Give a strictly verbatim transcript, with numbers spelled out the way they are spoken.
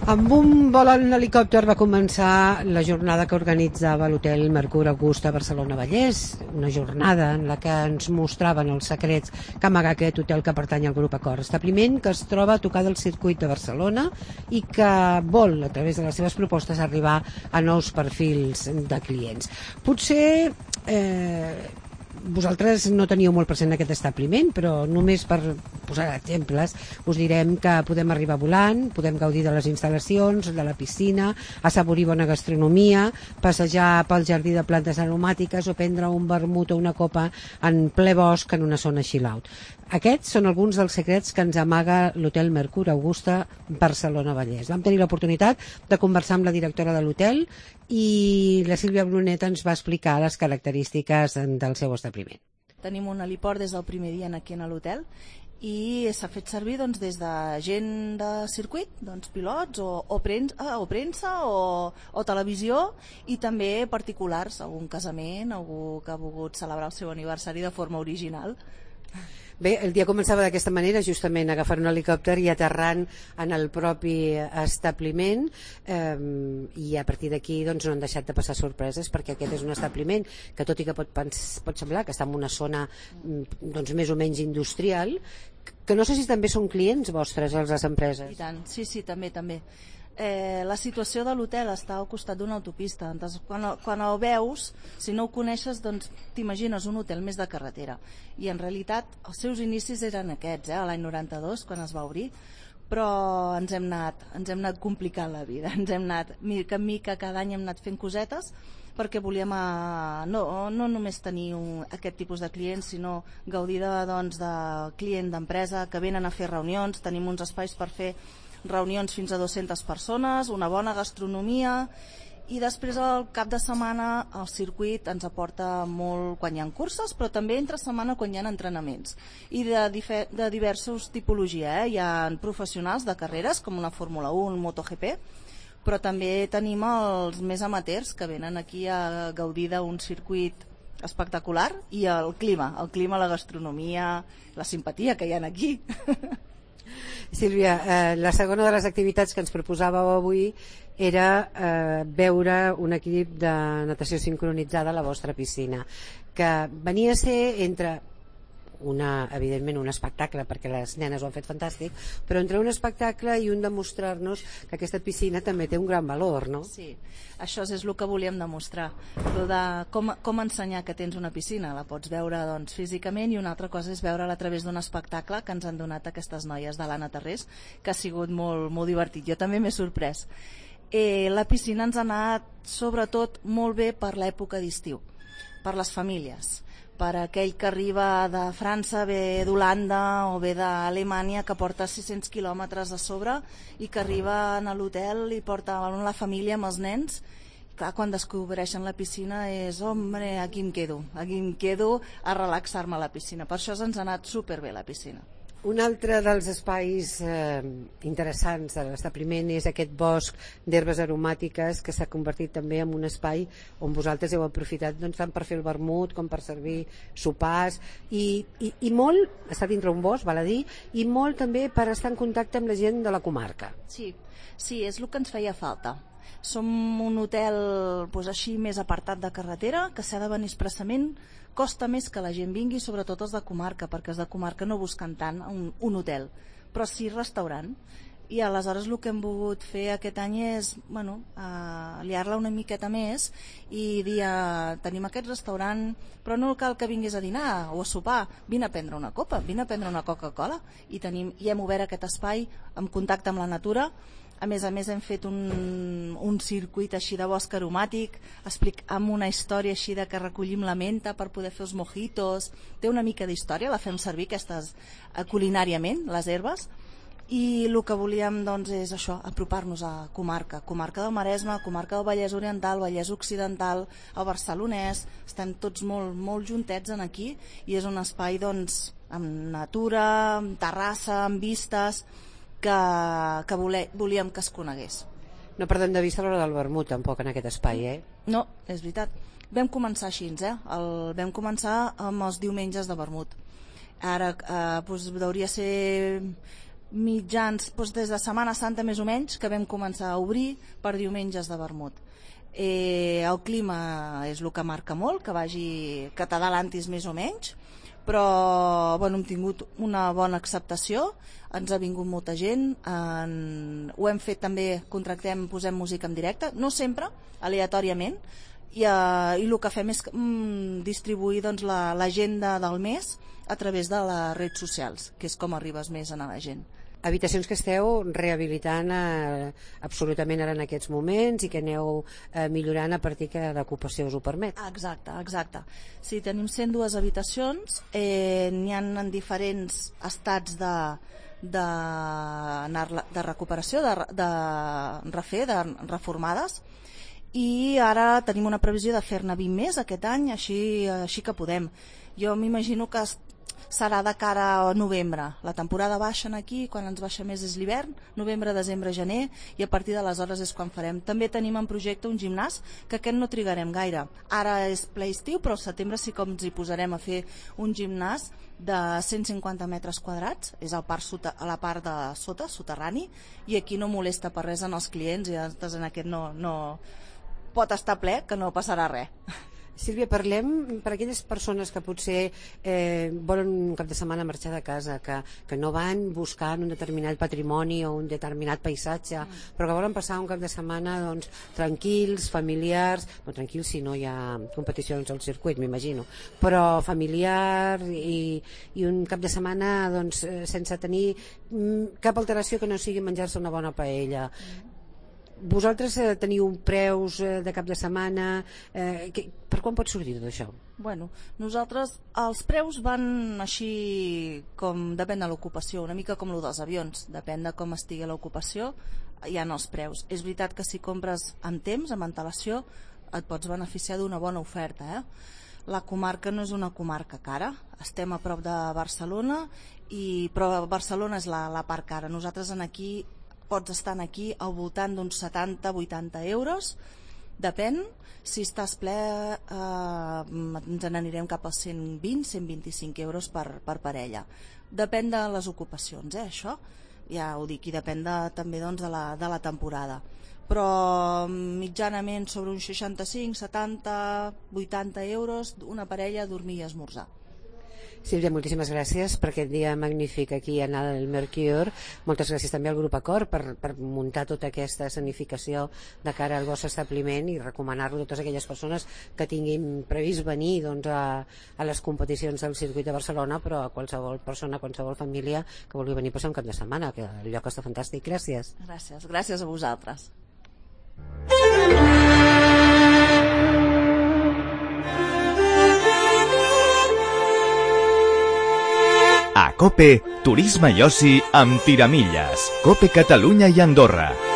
Amb un vol en helicòpter va començar la jornada que organitzava l'hotel Mercur Augusta Barcelona-Vallès, una jornada en la que ens mostraven els secrets que amaga aquest hotel que pertany al grup Accor, establiment que es troba a tocar del circuit de Barcelona i que vol, a través de les seves propostes, arribar a nous perfils de clients. Potser eh, vosaltres no teníeu molt present aquest establiment, però només per posar exemples us direm que podem arribar volant, podem gaudir de les instal·lacions, de la piscina, assaborir bona gastronomia, passejar pel jardí de plantes aromàtiques o prendre un vermut o una copa en ple bosc en una zona chill out. Aquests són alguns dels secrets que ens amaga l'hotel Mercur Augusta Barcelona-Vallès. Vam tenir l'oportunitat de conversar amb la directora de l'hotel i la Sílvia Brunet ens va explicar les característiques del seu establiment. Tenim un heliport des del primer dia aquí a l'hotel i s'ha fet servir doncs, des de gent de circuit, doncs, pilots o, o, premsa, o premsa o, o televisió, i també particulars, algun casament, algú que ha volgut celebrar el seu aniversari de forma original. Bé, el dia començava d'aquesta manera, justament agafant un helicòpter i aterrant en el propi establiment, eh, i a partir d'aquí doncs, no han deixat de passar sorpreses, perquè aquest és un establiment que, tot i que pot, pot semblar que està en una zona doncs, més o menys industrial, que no sé si també són clients vostres, les empreses. I tant, sí, sí, també, també. Eh, la situació de l'hotel està al costat d'una autopista. Entonces, quan, quan el veus, si no ho coneixes, doncs t'imagines un hotel més de carretera. I en realitat els seus inicis eren aquests, eh, l'any noranta-dos, quan es va obrir, però ens hem anat, ens hem anat complicant la vida. Ens hem anat, mica en mica, cada any hem anat fent cosetes, perquè volíem a, no, no només tenir un, aquest tipus de clients, sinó gaudir de, doncs, de client d'empresa que venen a fer reunions. Tenim uns espais per fer reunions fins a dues-centes persones, una bona gastronomia, i després al cap de setmana el circuit ens aporta molt quan hi ha curses, però també entre setmana quan hi ha entrenaments, i de, de diversos tipologia, eh? Hi ha professionals de carreres com una Fórmula u, un MotoGP, però també tenim els més amateurs que venen aquí a gaudir d'un circuit espectacular, i el clima, el clima, la gastronomia, la simpatia que hi ha aquí. Sílvia, eh, la segona de les activitats que ens proposàveu avui era eh, veure un equip de natació sincronitzada a la vostra piscina, que venia a ser entre una, evidentment un espectacle, perquè les nenes ho han fet fantàstic, però entre un espectacle i un demostrar-nos que aquesta piscina també té un gran valor, no? Sí, això és el que volíem demostrar, de com, com ensenyar que tens una piscina. La pots veure doncs, físicament, i una altra cosa és veure-la a través d'un espectacle que ens han donat aquestes noies de l'Anna Tarrés, que ha sigut molt, molt divertit. Jo també m'he sorprès. Eh, la piscina ens ha anat sobretot molt bé per l'època d'estiu, per les famílies, per aquell que arriba de França, ve d'Holanda o ve d'Alemanya, que porta sis-cents quilòmetres a sobre i que arriba a l'hotel i porta la família amb els nens. Clar, quan descobreixen la piscina és, hombre, aquí em quedo, aquí em quedo a relaxar-me a la piscina. Per això ens ha anat superbé la piscina. Un altre dels espais eh, interessants de l'establiment és aquest bosc d'herbes aromàtiques, que s'ha convertit també en un espai on vosaltres heu aprofitat doncs, tant per fer el vermut com per servir sopars, i, i, i molt, està dintre un bosc, val a dir, i molt també per estar en contacte amb la gent de la comarca. Sí, sí, és el que ens feia falta. Som un hotel doncs, així més apartat de carretera, que s'ha de venir expressament. Costa més que la gent vingui, sobretot els de comarca, perquè els de comarca no busquen tant un, un hotel, però sí restaurant. I aleshores el que hem volgut fer aquest any és bueno, uh, liar-la una miqueta més i dir, uh, tenim aquest restaurant, però no cal que vinguis a dinar o a sopar, vine a prendre una copa, vine a prendre una Coca-Cola, i, tenim, i hem obert aquest espai en contacte amb la natura. A més a més hem fet un, un circuit així de bosc aromàtic, explic, amb una història així de que recollim la menta per poder fer els mojitos. Té una mica d'història, la fem servir aquestes eh, culinàriament, les herbes, i el que volíem doncs, és això, apropar-nos a comarca, comarca del Maresme, comarca del Vallès Oriental, Vallès Occidental, el Barcelonès. Estem tots molt, molt juntets en aquí, i és un espai doncs, amb natura, amb terrassa, amb vistes, que, que vole, volíem que es conegués. No perdem de vista l'hora del vermut tampoc en aquest espai, eh? No, és veritat. Vam començar així, eh? El, vam començar amb els diumenges de vermut. Ara eh, doncs, hauria ser mitjans, doncs des de Setmana Santa més o menys, que vam començar a obrir per diumenges de vermut. Eh, el clima és el que marca molt, que vagi que t'adalantis més o menys, però bueno, hem tingut una bona acceptació, ens ha vingut molta gent, en... ho hem fet també, contractem, posem música en directe, no sempre, aleatòriament, i, uh, i el que fem és mm, distribuir doncs, l'agenda la, del mes a través de les redes socials, que és com arribes més a la gent. Habitacions que esteu rehabilitant eh, absolutament ara en aquests moments i que aneu eh, millorant a partir que l'ocupació us ho permet. Exacte, exacte. Sí, tenim cent dues habitacions, eh, n'hi ha en diferents estats de, de, de recuperació, de, de refer, de reformades, i ara tenim una previsió de fer-ne vint més aquest any, així, així que podem. Jo m'imagino que serà de cara a novembre. La temporada baixa aquí, quan ens baixa més és l'hivern, novembre, desembre, gener, i a partir d'aleshores és quan farem. També tenim en projecte un gimnàs, que aquest no trigarem gaire. Ara és ple estiu, però al setembre sí que ens hi posarem a fer un gimnàs de cent cinquanta metres quadrats, és al part sota, a la part de sota, soterrani, i aquí no molesta per res en els clients, i en aquest no, no pot estar ple, que no passarà res. Sílvia, parlem per aquelles persones que potser eh, volen un cap de setmana marxar de casa, que, que no van buscant un determinat patrimoni o un determinat paisatge, mm. però que volen passar un cap de setmana doncs, tranquils, familiars, no tranquils si no hi ha competicions al circuit, m'imagino, però familiar i, i un cap de setmana doncs, sense tenir cap alteració que no sigui menjar-se una bona paella. Mm. Vosaltres eh, teniu preus eh, de cap de setmana, eh, que, per quan pot sortir tot això? Bueno, nosaltres, els preus van així com depèn de l'ocupació, una mica com el dels avions, depèn de com estigui l'ocupació, hi ha els preus. És veritat que si compres amb temps, amb antelació, et pots beneficiar d'una bona oferta, eh? La comarca no és una comarca cara, estem a prop de Barcelona, i, però Barcelona és la, la part cara. Nosaltres en aquí pots estar aquí al voltant d'uns setanta a vuitanta euros, depèn, si estàs ple eh, ens n'anirem cap als cent vint a cent vint-i-cinc euros per, per parella. Depèn de les ocupacions, eh, això, ja ho dic, i depèn de, també doncs, de, la, de la temporada. Però mitjanament sobre uns seixanta-cinc, setanta, vuitanta euros una parella a dormir i esmorzar. Sílvia, moltíssimes gràcies per aquest dia magnífic aquí a el Mercure. Moltes gràcies també al Grup Acord per, per muntar tota aquesta escenificació de cara al vostre establiment i recomanar-lo a totes aquelles persones que tinguin previst venir doncs, a, a les competicions del circuit de Barcelona, però a qualsevol persona, a qualsevol família que vulgui venir a passar un cap de setmana, que el lloc està fantàstic. Gràcies. Gràcies, gràcies a vosaltres. A COPE, turisme i oci amb tiramilles. COPE Catalunya i Andorra.